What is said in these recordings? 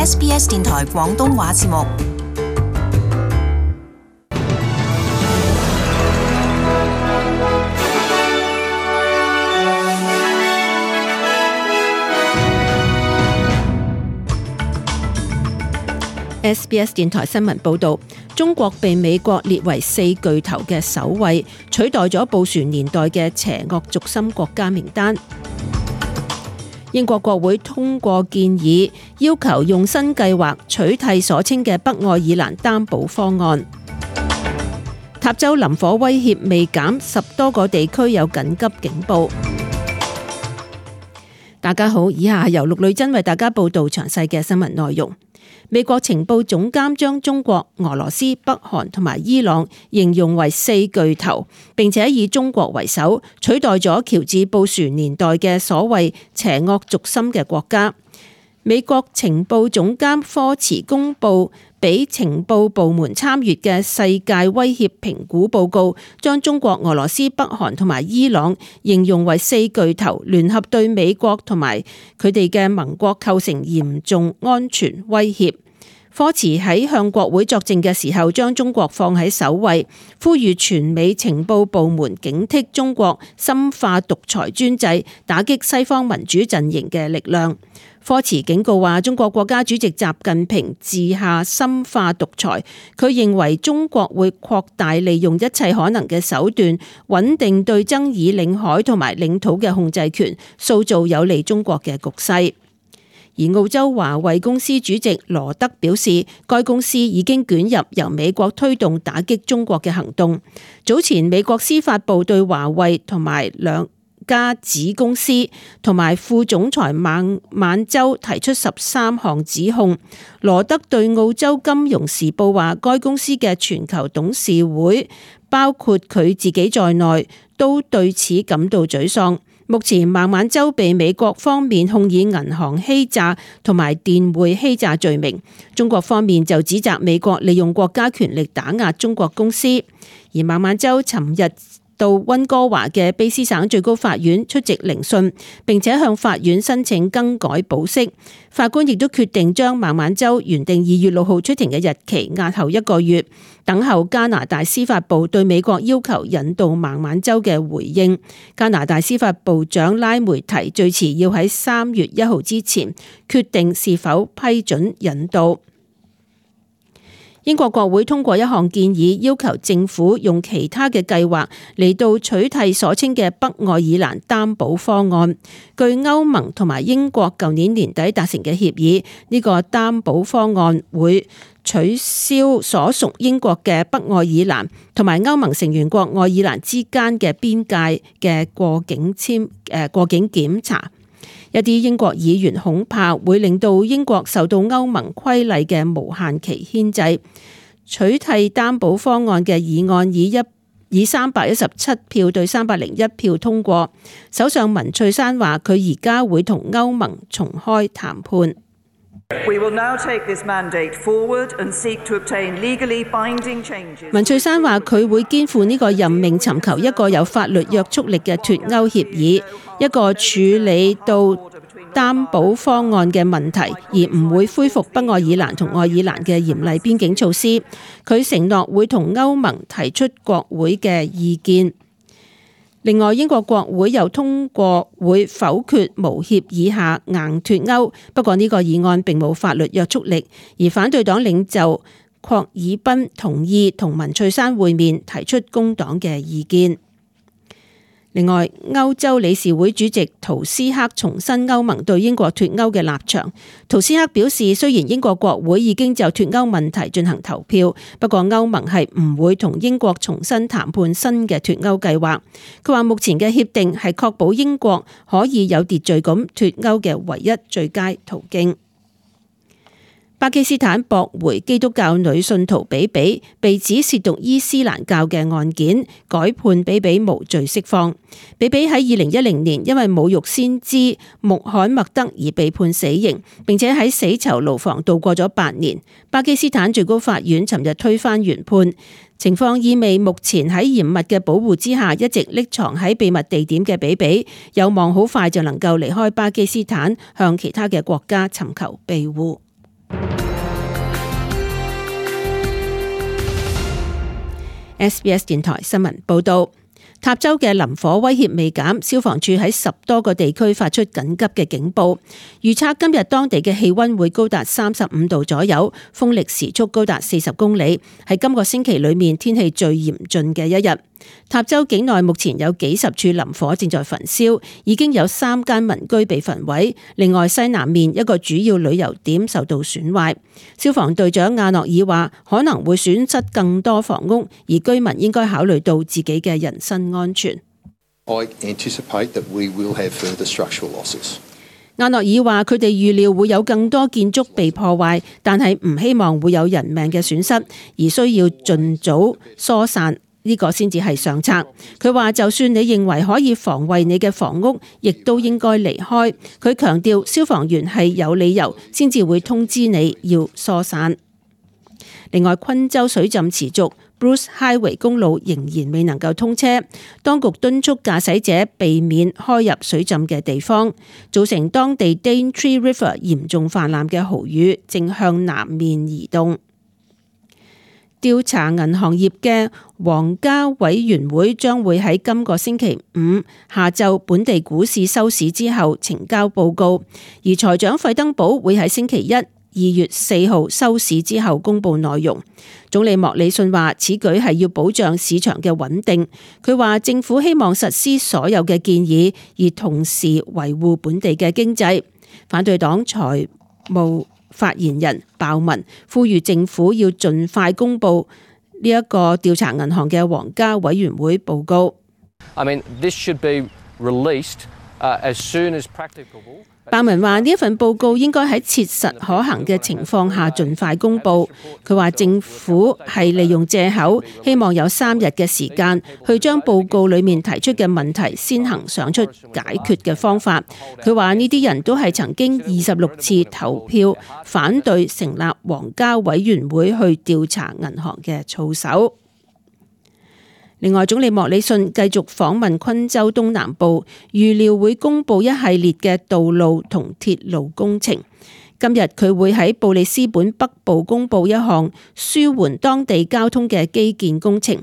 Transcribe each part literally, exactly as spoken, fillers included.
S B S 電台廣東話節目。S B S 電台新聞報道，中國被美國列為四巨頭嘅首位，取代咗布殊年代嘅邪惡軸心國家名單。英國國會通過建議，要求用新計劃取締所稱嘅北愛爾蘭擔保方案。塔州林火威脅未減，十多個地區有緊急警報。大家好，以下係由陸女真為大家報道詳細嘅新聞內容。美國情報總監將中國、俄羅斯、北韓同埋伊朗形容為四巨頭，並且以中國為首，取代咗喬治布殊年代嘅所謂邪惡軸心嘅國家。美國情報總監科茨公佈俾情報部門參閱嘅世界威脅評估報告，將中國、俄羅斯、北韓同埋伊朗形容為四巨頭，聯合對美國同埋佢哋嘅盟國構成嚴重安全威脅。科茨喺向國會作證嘅時候，將中國放喺首位，呼籲全美情報部門警惕中國深化獨裁專制，打擊西方民主陣營嘅力量。科茨警告話，中國國家主席習近平治下深化獨裁，佢認為中國會擴大利用一切可能嘅手段，穩定對爭議領海同埋領土嘅控制權，塑造有利中國嘅局勢。而澳洲華為公司主席羅德表示，該公司已經捲入由美國推動打擊中國嘅行動。早前美國司法部對華為同埋兩家子公司同埋副總裁孟晚舟提出十三項指控。羅德對澳洲金融時報話，該公司嘅全球董事會包括佢自己在內都對此感到沮喪。目前孟晚舟被美國方面控以銀行欺詐同埋電匯欺詐罪名，中國方面就指責美國利用國家權力打壓中國公司。而孟晚舟尋日到溫哥華嘅卑詩省最高法院出席聆訊，並且向法院申請更改保釋。法官亦都決定將孟晚舟原定二月六號出庭嘅日期押後一個月，等候加拿大司法部對美國要求引渡孟晚舟嘅回應。加拿大司法部長拉梅提最遲要喺三月一號之前決定是否批准引渡。英國國會通過一項建議，要求政府用其他嘅計劃嚟到取締所稱嘅北愛爾蘭擔保方案。據歐盟同埋英國舊年年底達成嘅協議，呢個擔保方案會取消所屬英國嘅北愛爾蘭同埋歐盟成員國愛爾蘭之間嘅邊界嘅過境簽誒過境檢查。一啲英國議員恐怕會令到英國受到歐盟規例嘅無限期牽制。取締擔保方案嘅議案以一以三百一十七票對三百零一票通過。首相文翠珊話，佢而家會同歐盟重開談判。文翠珊話，佢會肩負呢個任命，尋求一個有法律約束力嘅脫歐協議，一個處理到擔保方案嘅問題，而唔會恢復北愛爾蘭同愛爾蘭嘅嚴厲邊境措施。佢承諾會同歐盟提出國會嘅意見。另外，英國國會又通過會否決無協議下硬脫歐，不過呢個議案並冇法律約束力，而反對黨領袖郝爾賓同意同文翠珊會面，提出工黨嘅意見。另外，歐洲理事會主席圖斯克重申歐盟對英國脫歐嘅立場。圖斯克表示，雖然英國國會已經就脫歐問題進行投票，不過歐盟係唔會同英國重新談判新嘅脫歐計劃。佢話目前嘅協定係確保英國可以有秩序咁脫歐嘅唯一最佳途徑。巴基斯坦駁回基督教女信徒比比被指褻瀆伊斯蘭教嘅案件，改判比比無罪釋放。比比喺二零一零年因為侮辱先知穆罕默德而被判死刑，並且喺死囚牢房度過咗八年。巴基斯坦最高法院尋日推翻原判，情況意味目前喺嚴密嘅保護之下一直匿藏喺秘密地點嘅比比，有望好快就能夠離開巴基斯坦，向其他嘅國家尋求庇護。S B S 電台新聞報道。塔州嘅林火威脅未減，消防處喺十多個地區發出緊急嘅警報，預測今日當地嘅氣溫會高達三十五度左右，風力時速高達四十公里，係今個星期裏面天氣最嚴峻嘅一日。塔州境內目前有幾十處林火正在焚燒，已經有三間民居被焚毀，另外西南面一個主要旅遊點受到損壞。消防隊長亞諾爾話，可能會損失更多房屋，而居民應該考慮到自己嘅人身安全。I anticipate that we will have further structural losses. 亞諾爾話，佢哋預料會有更多建築被破壞，但係唔希望會有人命嘅損失，而需要盡早疏散。呢個先至係上策。佢話就算你認為可以防衛你嘅房屋，亦都應該離開。佢強調消防員係有理由先至會通知你要疏散。另外，昆州水浸持續 ，Bruce Highway 公路仍然未能夠通車。當局敦促駕駛者避免開入水浸嘅地方，造成當地 Daintree River 嚴重泛濫嘅豪雨正向南面移動。調查銀行業嘅皇家委員會將會喺今個星期五下晝本地股市收市之後呈交報告，而財長費登堡會喺星期一二月四號收市之後公布內容。總理莫里遜話，此舉係要保障市場嘅穩定。佢話政府希望實施所有嘅建議，而同時維護本地嘅經濟。反對黨財務發言人鮑文呼籲政府要盡快公布呢一個調查銀行嘅皇家委員會報告。I mean, this should be released, uh, as soon as practicable. 鮑文話呢一份報告應該喺切實可行嘅情況下盡快公布。佢話政府係利用借口，希望有三日嘅時間去將報告裡面提出嘅問題先行想出解決嘅方法。佢話呢啲人都係曾經二十六次投票反對成立皇家委員會去調查銀行嘅操守。另外，總理莫里遜繼續訪問昆州東南部，預料會公布一系列嘅道路同鐵路工程。今日佢會喺布里斯本北部公布一項舒緩當地交通嘅基建工程。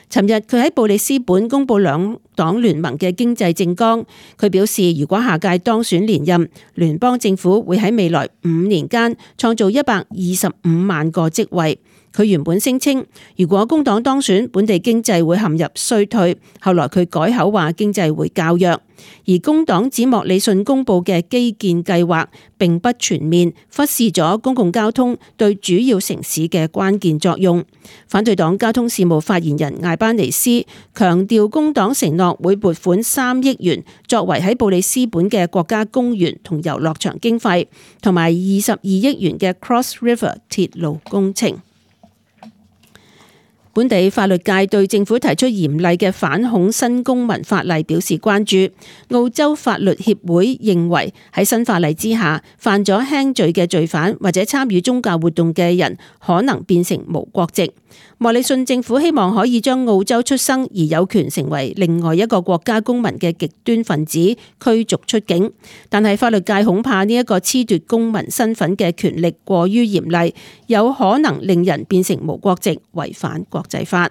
尋日佢喺布里斯本公布兩黨聯盟嘅經濟政綱，佢表示如果下屆當選連任，聯邦政府會喺未來五年間創造一百二十五萬個職位。佢原本聲稱，如果工黨當選，本地經濟會陷入衰退。後來佢改口話經濟會較弱。而工黨指莫里遜公布嘅基建計劃並不全面，忽視咗公共交通對主要城市嘅關鍵作用。反對黨交通事務發言人艾班尼斯強調，工黨承諾會撥款三億元作為喺布里斯本嘅國家公園同遊樂場經費，同埋二十二億元嘅 Cross River 鐵路工程。本地法律界對政府提出嚴厲嘅反恐新公民法例表示關注。澳洲法律協會認為喺新法例之下，犯咗輕罪嘅罪犯或者參與宗教活動嘅人可能變成無國籍。莫里遜政府希望可以將澳洲出生而有權成為另外一個國家公民嘅極端分子驅逐出境，但係法律界恐怕呢一個褫奪公民身份嘅權力過於嚴厲，有可能令人變成無國籍，違反國際法。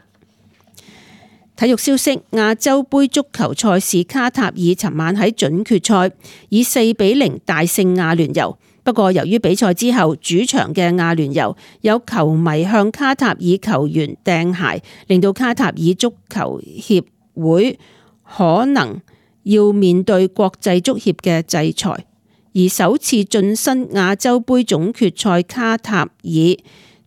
體育消息：亞洲盃足球賽事卡塔爾尋晚喺準決賽以四比零大勝亞聯酋。不過由於比賽之後主場嘅亞聯酋有球迷向卡塔爾球員掟鞋，令到卡塔爾足球協會可能要面對國際足協嘅制裁。而首次晉身亞洲盃總決賽卡塔爾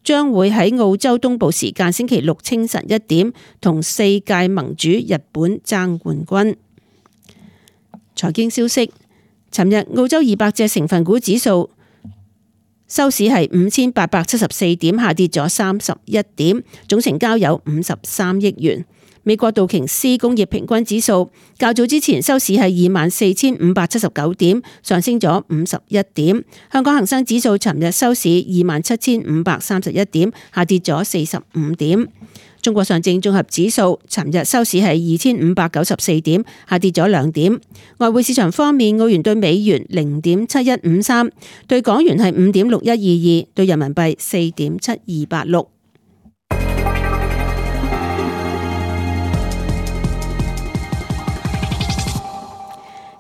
將會喺澳洲東部時間星期六清晨一點同世界盟主日本爭冠軍。財經消息。尋日澳洲二百隻成分股指數收市係五千八百七十四點，下跌咗三十一點，總成交有五十三億元。美國道瓊斯工業平均指數較早之前收市係二萬四千五百七十九點，上升咗五十一點。香港恒生指數尋日收市二萬七千五百三十一點，下跌咗四十五點。中國上證綜合指數尋日收市係二千五百九十四點，下跌咗兩點。外匯市場方面，澳元對美元零點七一五三，對港元係五點六一二二，對人民幣四點七二八六。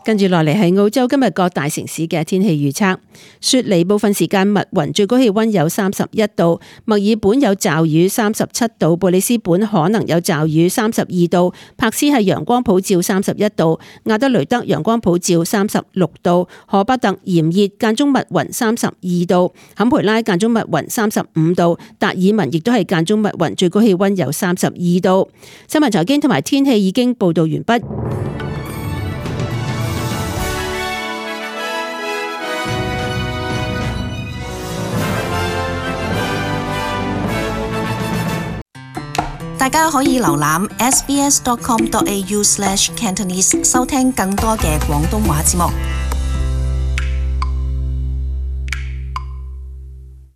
跟住落嚟係澳洲今日各大城市嘅天氣預測。雪梨部分時間密雲，最高氣溫有三十一度；墨爾本有驟雨，三十七度；布里斯本可能有驟雨，三十二度；柏斯係陽光普照，三十一度；亞德雷德陽光普照，三十六度；荷伯特炎熱間中密雲，三十二度；坎培拉間中密雲，三十五度；達爾文亦都係間中密雲，最高氣溫有三十二度。新聞財經同埋天氣已經報道完畢。大家可以瀏覽 s b s dot com dot a u slash cantonese 收聽更多嘅廣東話節目。